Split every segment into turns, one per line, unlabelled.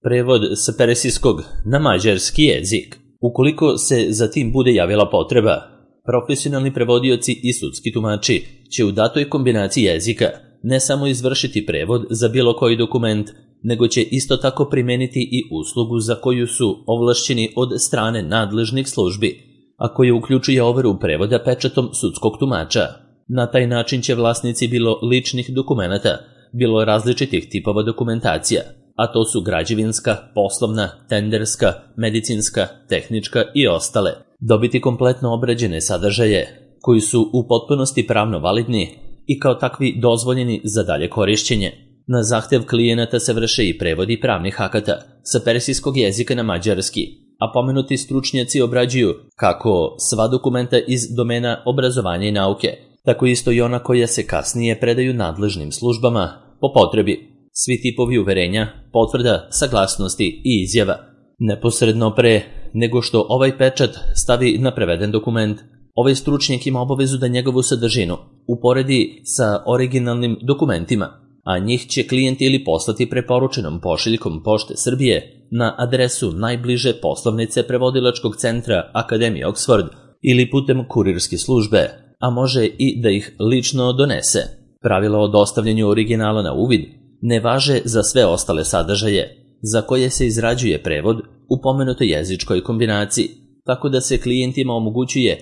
Prevod sa persijskog na mađarski jezik. Ukoliko se za tim bude javila potreba, profesionalni prevodioci i sudski tumači će u datoj kombinaciji jezika ne samo izvršiti prevod za bilo koji dokument, nego će isto tako primeniti i uslugu za koju su ovlašćeni od strane nadležnih službi, a koje uključuje overu prevoda pečatom sudskog tumača. Na taj način će vlasnici bilo ličnih dokumenata, bilo različitih tipova dokumentacija, a to su građevinska, poslovna, tenderska, medicinska, tehnička i ostale, dobiti kompletno obrađene sadržaje koji su u potpunosti pravno validni i kao takvi dozvoljeni za dalje korišćenje. Na zahtev klijenata se vrše i prevodi pravnih akata sa persijskog jezika na mađarski, a pomenuti stručnjaci obrađuju kako sva dokumenta iz domena obrazovanja i nauke, tako isto i ona koja se kasnije predaju nadležnim službama po potrebi. Svi tipovi uverenja, potvrda, saglasnosti i izjava. Neposredno pre nego što ovaj pečat stavi na preveden dokument, ovaj stručnjak ima obavezu da njegovu sadržinu uporedi sa originalnim dokumentima, a njih će klijent ili poslati preporučenom pošiljkom Pošte Srbije na adresu najbliže poslovnice prevodilačkog centra Akademije Oxford ili putem kurirske službe, a može i da ih lično donese. Pravila o dostavljanju originala na uvid ne važe za sve ostale sadržaje za koje se izrađuje prevod u pomenutoj jezičkoj kombinaciji, tako da se klijentima omogućuje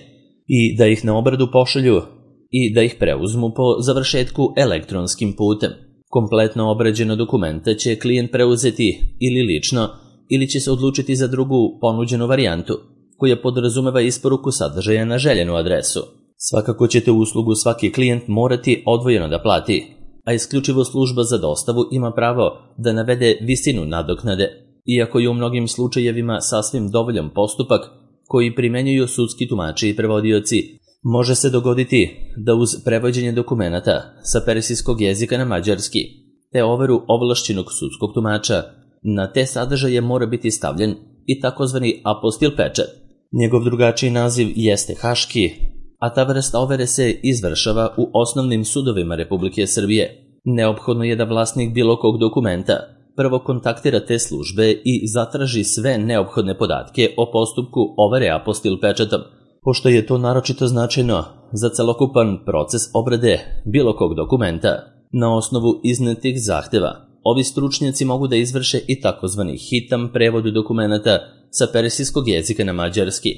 i da ih na obradu pošalju i da ih preuzmu po završetku elektronskim putem. Kompletno obrađeno dokumenta će klijent preuzeti ili lično ili će se odlučiti za drugu ponuđenu varijantu, koja podrazumeva isporuku sadržaja na željenu adresu. Svakako ćete uslugu svaki klijent morati odvojeno da plati, a isključivo služba za dostavu ima pravo da navede visinu nadoknade, iako je u mnogim slučajevima sasvim dovoljan postupak koji primenjuju sudski tumači i prevodioci. Može se dogoditi da uz prevođenje dokumenata sa persijskog jezika na mađarski, te overu ovlašćenog sudskog tumača, na te sadržaje mora biti stavljen i takozvani apostil pečat. Njegov drugačiji naziv jeste haški, a ta vrsta overe se izvršava u osnovnim sudovima Republike Srbije. Neophodno je da vlasnik bilo kog dokumenta prvo kontaktira te službe i zatraži sve neophodne podatke o postupku overe apostil pečatom, pošto je to naročito značajno za celokupan proces obrade bilo kog dokumenta. Na osnovu iznetih zahteva, ovi stručnjaci mogu da izvrše i takozvani hitan prevod dokumenta sa persijskog jezika na mađarski,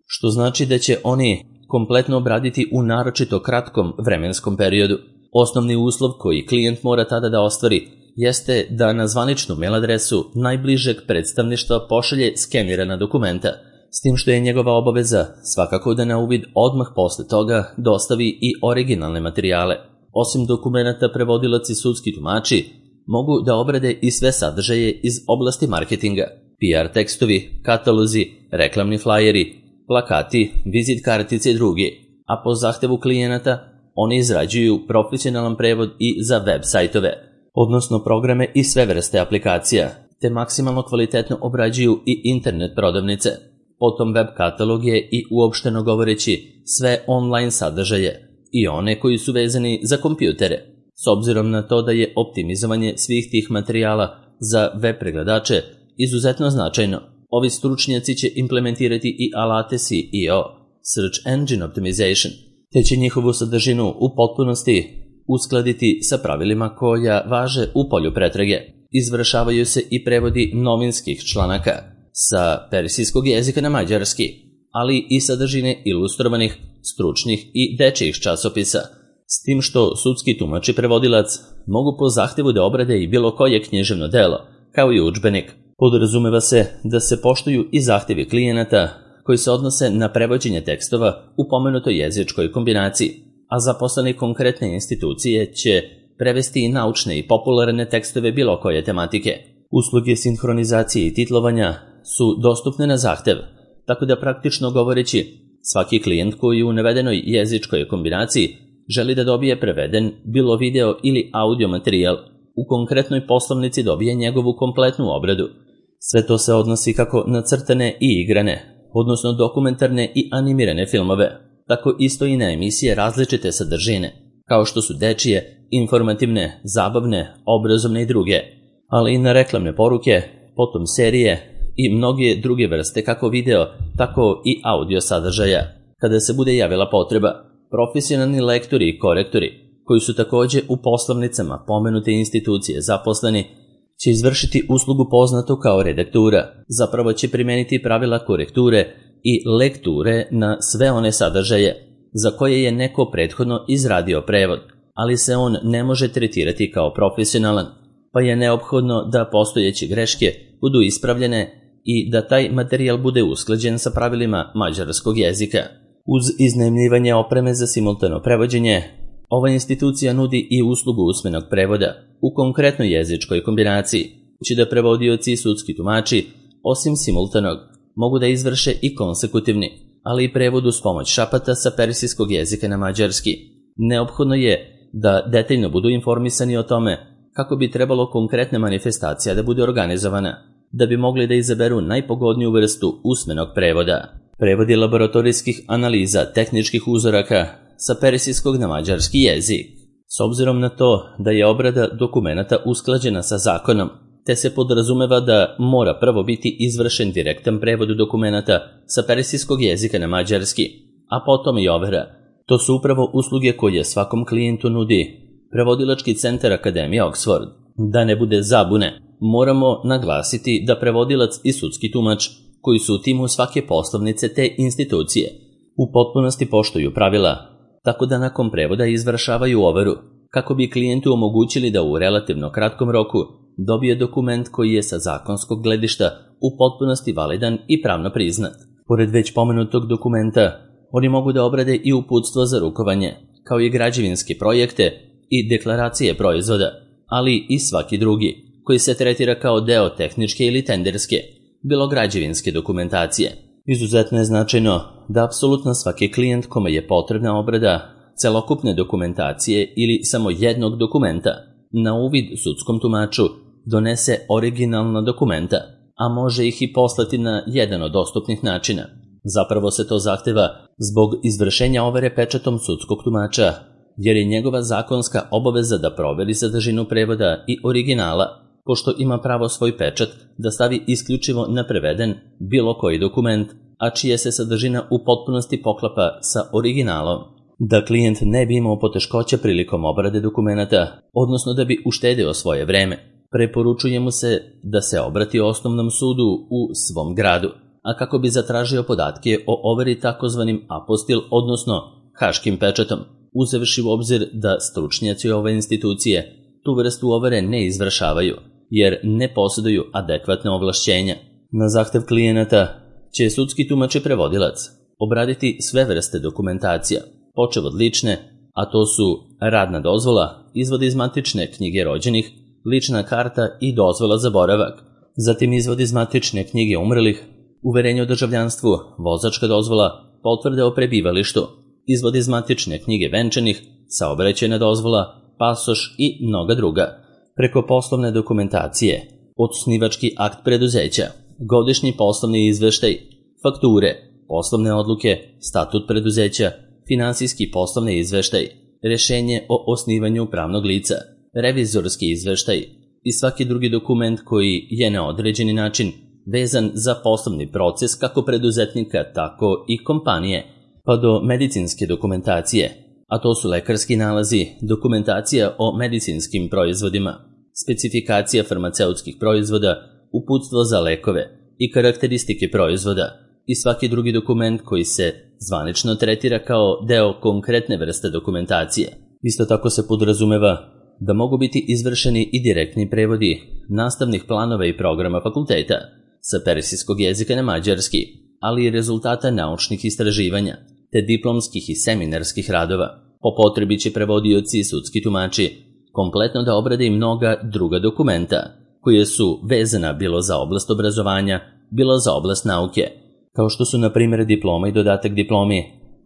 što znači da će oni kompletno obraditi u naročito kratkom vremenskom periodu. Osnovni uslov koji klijent mora tada da ostvari jeste da na zvaničnu mail adresu najbližeg predstavništva pošalje skenirana dokumenta, s tim što je njegova obaveza svakako da na uvid odmah posle toga dostavi i originalne materijale. Osim dokumenata, prevodilac i sudski tumači mogu da obrade i sve sadržaje iz oblasti marketinga, PR tekstovi, katalozi, reklamni flajeri, plakati, vizit kartice i drugi, a po zahtevu klijenata oni izrađuju profesionalan prevod i za web sajtove, odnosno programe i sve vrste aplikacija, te maksimalno kvalitetno obrađuju i internet prodavnice, potom web kataloge i uopšteno govoreći sve online sadržaje i one koji su vezani za kompjutere. S obzirom na to da je optimizovanje svih tih materijala za web pregledače izuzetno značajno, ovi stručnjaci će implementirati i alate SEO, Search Engine Optimization, te će njihovu sadržinu u potpunosti uskladiti sa pravilima koja važe u polju pretrage. Izvršavaju se i prevodi novinskih članaka sa persijskog jezika na mađarski, ali i sadržine ilustrovanih, stručnih i dečijih časopisa, s tim što sudski tumač i prevodilac mogu po zahtevu da obrade i bilo koje književno delo, kao i udžbenik. Podrazumeva se da se poštuju i zahtevi klijenata koji se odnose na prevođenje tekstova u pomenutoj jezičkoj kombinaciji, a zaposleni konkretne institucije će prevesti i naučne i popularne tekstove bilo koje tematike. Usluge sinhronizacije i titlovanja su dostupne na zahtev, tako da praktično govoreći, svaki klijent koji u navedenoj jezičkoj kombinaciji želi da dobije preveden bilo video ili audio materijal, u konkretnoj poslovnici dobije njegovu kompletnu obradu. Sve to se odnosi kako na crtane i igrane, odnosno dokumentarne i animirane filmove, tako isto i na emisije različite sadržine, kao što su dečije, informativne, zabavne, obrazovne i druge, ali i na reklamne poruke, potom serije i mnoge druge vrste kako video, tako i audio sadržaja. Kada se bude javila potreba, profesionalni lektori i korektori, koji su takođe u poslovnicama pomenute institucije zaposleni, će izvršiti uslugu poznatu kao redaktura. Zapravo će primeniti pravila korekture i lekture na sve one sadržaje za koje je neko prethodno izradio prevod, ali se on ne može tretirati kao profesionalan, pa je neophodno da postojeće greške budu ispravljene i da taj materijal bude usklađen sa pravilima mađarskog jezika. Uz iznajmljivanje opreme za simultano prevođenje, ova institucija nudi i uslugu usmenog prevoda u konkretnoj jezičkoj kombinaciji, će da prevodioci i sudski tumači, osim simultanog, mogu da izvrše i konsekutivni, ali i prevod uz pomoć šapata sa persijskog jezika na mađarski. Neophodno je da detaljno budu informisani o tome kako bi trebalo konkretna manifestacija da bude organizovana, da bi mogli da izaberu najpogodniju vrstu usmenog prevoda. Prevodi laboratorijskih analiza tehničkih uzoraka sa persijskog na mađarski jezik. S obzirom na to da je obrada dokumenata usklađena sa zakonom, te se podrazumeva da mora prvo biti izvršen direktan prevod dokumenata sa persijskog jezika na mađarski, a potom i overa. To su upravo usluge koje svakom klijentu nudi Prevodilački centar Akademije Oxford. Da ne bude zabune, moramo naglasiti da prevodilac i sudski tumač, koji su u timu svake poslovnice te institucije, u potpunosti poštuju pravila, tako da nakon prevoda izvršavaju overu, kako bi klijentu omogućili da u relativno kratkom roku dobije dokument koji je sa zakonskog gledišta u potpunosti validan i pravno priznat. Pored već pomenutog dokumenta, oni mogu da obrade i uputstvo za rukovanje, kao i građevinske projekte i deklaracije proizvoda, ali i svaki drugi, koji se tretira kao deo tehničke ili tenderske, bilo građevinske dokumentacije. Izuzetno je značajno da apsolutno svaki klijent kome je potrebna obrada celokupne dokumentacije ili samo jednog dokumenta na uvid sudskom tumaču donese originalna dokumenta, a može ih i poslati na jedan od dostupnih načina. Zapravo se to zahteva zbog izvršenja overe pečatom sudskog tumača, jer je njegova zakonska obaveza da proveri sadržinu prevoda i originala, pošto ima pravo svoj pečat da stavi isključivo na preveden bilo koji dokument, a čija se sadržina u potpunosti poklapa sa originalom. Da klijent ne bi imao poteškoća prilikom obrade dokumenata, odnosno da bi uštedeo svoje vreme, preporučuje mu se da se obrati osnovnom sudu u svom gradu, a kako bi zatražio podatke o overi takozvanim apostil, odnosno haškim pečatom, uzevši u obzir da stručnjaci ove institucije tu vrstu overe ne izvršavaju, jer ne posjeduju adekvatne ovlašćenja. Na zahtev klijenata će sudski tumač i prevodilac obraditi sve vrste dokumentacija, počev od lične, a to su radna dozvola, izvod iz matične knjige rođenih, lična karta i dozvola za boravak, zatim izvod iz matične knjige umrlih, uverenje o državljanstvu, vozačka dozvola, potvrde o prebivalištu, izvod iz matične knjige venčanih, saobraćajna dozvola, pasoš i mnoga druga. Preko poslovne dokumentacije, osnivački akt preduzeća, godišnji poslovni izveštaj, fakture, poslovne odluke, statut preduzeća, finansijski poslovni izveštaj, rešenje o osnivanju pravnog lica, revizorski izveštaj i svaki drugi dokument koji je na određeni način vezan za poslovni proces kako preduzetnika, tako i kompanije, pa do medicinske dokumentacije, a to su lekarski nalazi, dokumentacija o medicinskim proizvodima, specifikacija farmaceutskih proizvoda, uputstvo za lekove i karakteristike proizvoda i svaki drugi dokument koji se zvanično tretira kao deo konkretne vrste dokumentacije. Isto tako se podrazumeva da mogu biti izvršeni i direktni prevodi nastavnih planova i programa fakulteta sa persijskog jezika na mađarski, ali i rezultata naučnih istraživanja, te diplomskih i seminarskih radova. Po potrebi će prevodioci i sudski tumači kompletno da obrade i mnoga druga dokumenta, koje su vezana bilo za oblast obrazovanja, bilo za oblast nauke, kao što su na primjer diploma i dodatak diplomi,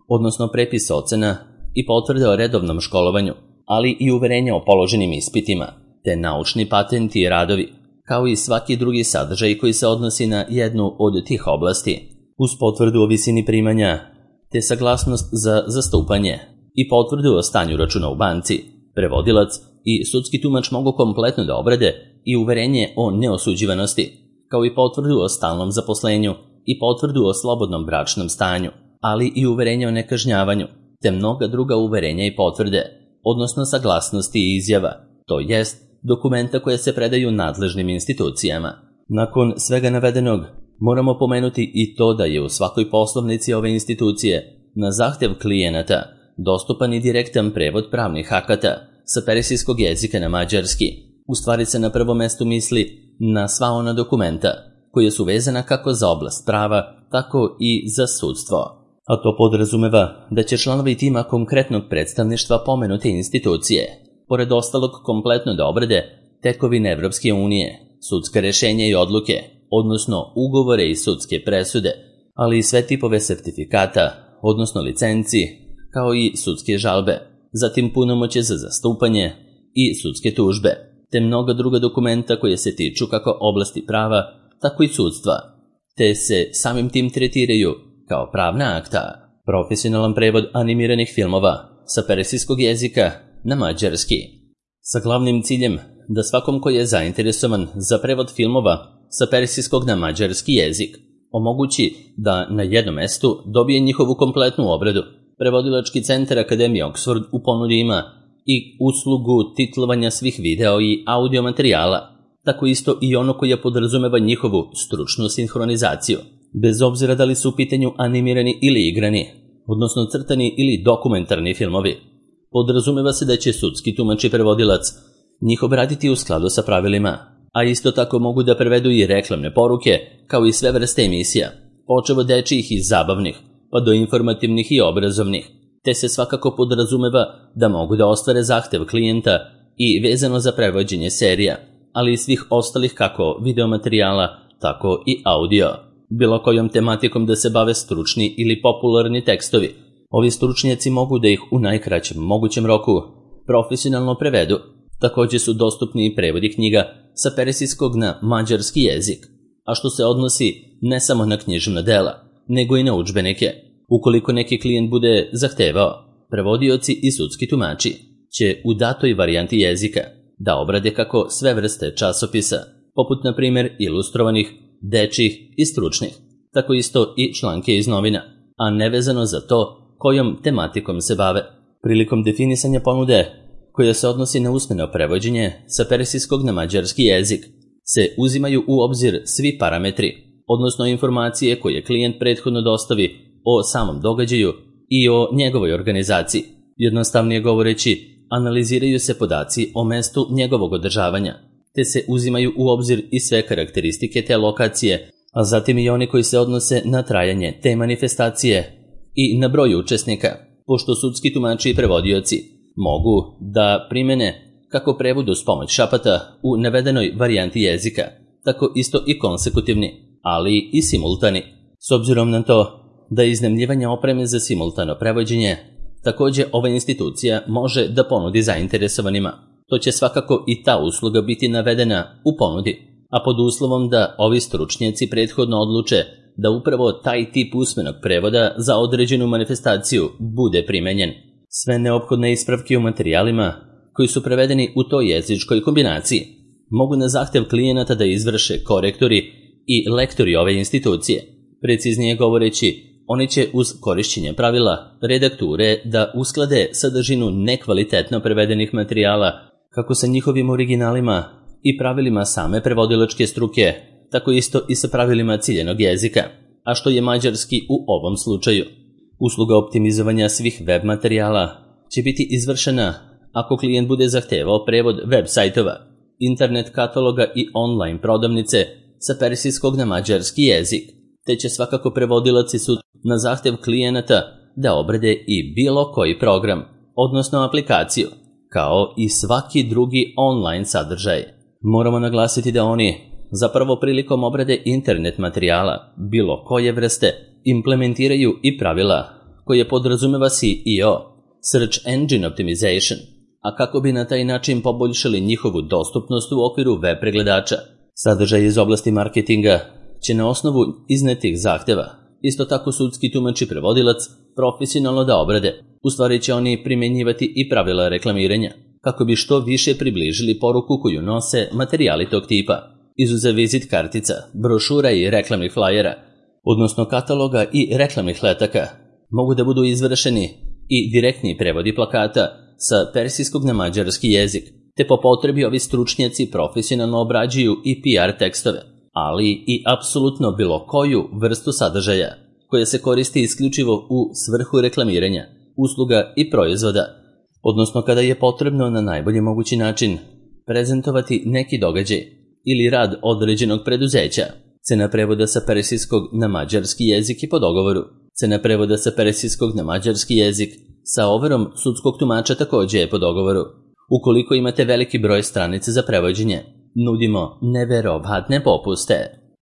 odnosno prepis ocena i potvrde o redovnom školovanju, ali i uverenja o položenim ispitima, te naučni patenti i radovi, kao i svaki drugi sadržaj koji se odnosi na jednu od tih oblasti, uz potvrdu o visini primanja, te saglasnost za zastupanje i potvrdu o stanju računa u banci. Prevodilac i sudski tumač mogu kompletno da obrade i uverenje o neosuđivanosti, kao i potvrdu o stalnom zaposlenju i potvrdu o slobodnom bračnom stanju, ali i uverenje o nekažnjavanju, te mnoga druga uverenja i potvrde, odnosno saglasnosti i izjava, to jest dokumenta koje se predaju nadležnim institucijama. Nakon svega navedenog, moramo pomenuti i to da je u svakoj poslovnici ove institucije na zahtev klijenata dostupan i direktan prevod pravnih akata sa persijskog jezika na mađarski. U stvari se na prvom mestu misli na sva ona dokumenta koje su vezana kako za oblast prava, tako i za sudstvo. A to podrazumeva da će članovi tima konkretnog predstavništva pomenute institucije, pored ostalog kompletno da obrade tekovine Evropske unije, sudska rešenja i odluke, odnosno ugovore i sudske presude, ali i sve tipove sertifikata, odnosno licenci, kao i sudske žalbe, zatim punomoćje za zastupanje i sudske tužbe, te mnoga druga dokumenta koje se tiču kako oblasti prava, tako i sudstva, te se samim tim tretiraju kao pravna akta. Profesionalan prevod animiranih filmova sa persijskog jezika na mađarski, sa glavnim ciljem da svakom ko je zainteresovan za prevod filmova sa persijskog na mađarski jezik omogući da na jednom mestu dobije njihovu kompletnu obradu. Prevodilački centar Akademije Oxford u ponudi ima i uslugu titlovanja svih video i audio materijala, tako isto i ono koje podrazumeva njihovu stručnu sinhronizaciju. Bez obzira da li su u pitanju animirani ili igrani, odnosno crtani ili dokumentarni filmovi, podrazumeva se da će sudski tumač i prevodilac njih obraditi u skladu sa pravilima, a isto tako mogu da prevedu i reklamne poruke, kao i sve vrste emisija, počev od dečijih i zabavnih, pa do informativnih i obrazovnih, te se svakako podrazumeva da mogu da ostvare zahtev klijenta i vezano za prevođenje serija, ali i svih ostalih kako videomaterijala, tako i audio. Bilo kojom tematikom da se bave stručni ili popularni tekstovi, ovi stručnjaci mogu da ih u najkraćem mogućem roku profesionalno prevedu. Također su dostupni i prevodi knjiga sa persijskog na mađarski jezik, a što se odnosi ne samo na književna dela, nego i na udžbenike. Ukoliko neki klijent bude zahtevao, prevodioci i sudski tumači će u datoj varijanti jezika da obrade kako sve vrste časopisa, poput na primjer ilustrovanih, dečjih i stručnih, tako isto i članke iz novina, a nevezano za to kojom tematikom se bave. Prilikom definisanja ponude koja se odnosi na usmeno prevođenje sa persijskog na mađarski jezik se uzimaju u obzir svi parametri, odnosno informacije koje klijent prethodno dostavi o samom događaju i o njegovoj organizaciji. Jednostavnije govoreći, analiziraju se podaci o mestu njegovog održavanja, te se uzimaju u obzir i sve karakteristike te lokacije, a zatim i oni koji se odnose na trajanje te manifestacije i na broj učesnika, pošto sudski tumači i prevodioci mogu da primene kako prevod uz pomoć šapata u navedenoj varijanti jezika, tako isto i konsekutivni, ali i simultani. S obzirom na to da iznajmljivanje opreme za simultano prevođenje također ova institucija može da ponudi zainteresovanima, to će svakako i ta usluga biti navedena u ponudi, a pod uslovom da ovi stručnjaci prethodno odluče da upravo taj tip usmenog prevoda za određenu manifestaciju bude primenjen. Sve neophodne ispravke u materijalima koji su prevedeni u toj jezičkoj kombinaciji mogu na zahtev klijenata da izvrše korektori i lektori ove institucije. Preciznije govoreći, oni će uz korišćenje pravila redakture da usklade sadržinu nekvalitetno prevedenih materijala kako sa njihovim originalima i pravilima same prevodilačke struke, tako isto i sa pravilima ciljenog jezika, a što je mađarski u ovom slučaju. Usluga optimizovanja svih web materijala će biti izvršena ako klijent bude zahtevao prevod web sajtova, internet kataloga i online prodavnice sa persijskog na mađarski jezik, te će svakako prevodilac i sud na zahtev klijenata da obrade i bilo koji program, odnosno aplikaciju, kao i svaki drugi online sadržaj. Moramo naglasiti da oni zapravo prilikom obrade internet materijala bilo koje vrste implementiraju i pravila koje podrazumeva SEO, Search Engine Optimization, a kako bi na taj način poboljšali njihovu dostupnost u okviru web pregledača. Sadržaj iz oblasti marketinga će na osnovu iznetih zahteva isto tako sudski tumač i prevodilac profesionalno da obrade. U stvari će oni primjenjivati i pravila reklamiranja, kako bi što više približili poruku koju nose materijali tog tipa. izuzev vizit kartica, brošura i reklamnih flajera, odnosno kataloga i reklamnih letaka, mogu da budu izvršeni i direktni prevodi plakata sa persijskog na mađarski jezik, te po potrebi ovi stručnjaci profesionalno obrađuju i PR tekstove, ali i apsolutno bilo koju vrstu sadržaja koja se koristi isključivo u svrhu reklamiranja, usluga i proizvoda, odnosno kada je potrebno na najbolji mogući način prezentovati neki događaj ili rad određenog preduzeća. Cena prevoda sa persijskog na mađarski jezik je po dogovoru. Cena prevoda sa persijskog na mađarski jezik sa overom sudskog tumača takođe je po dogovoru. Ukoliko imate veliki broj stranica za prevođenje, nudimo neverovatne popuste.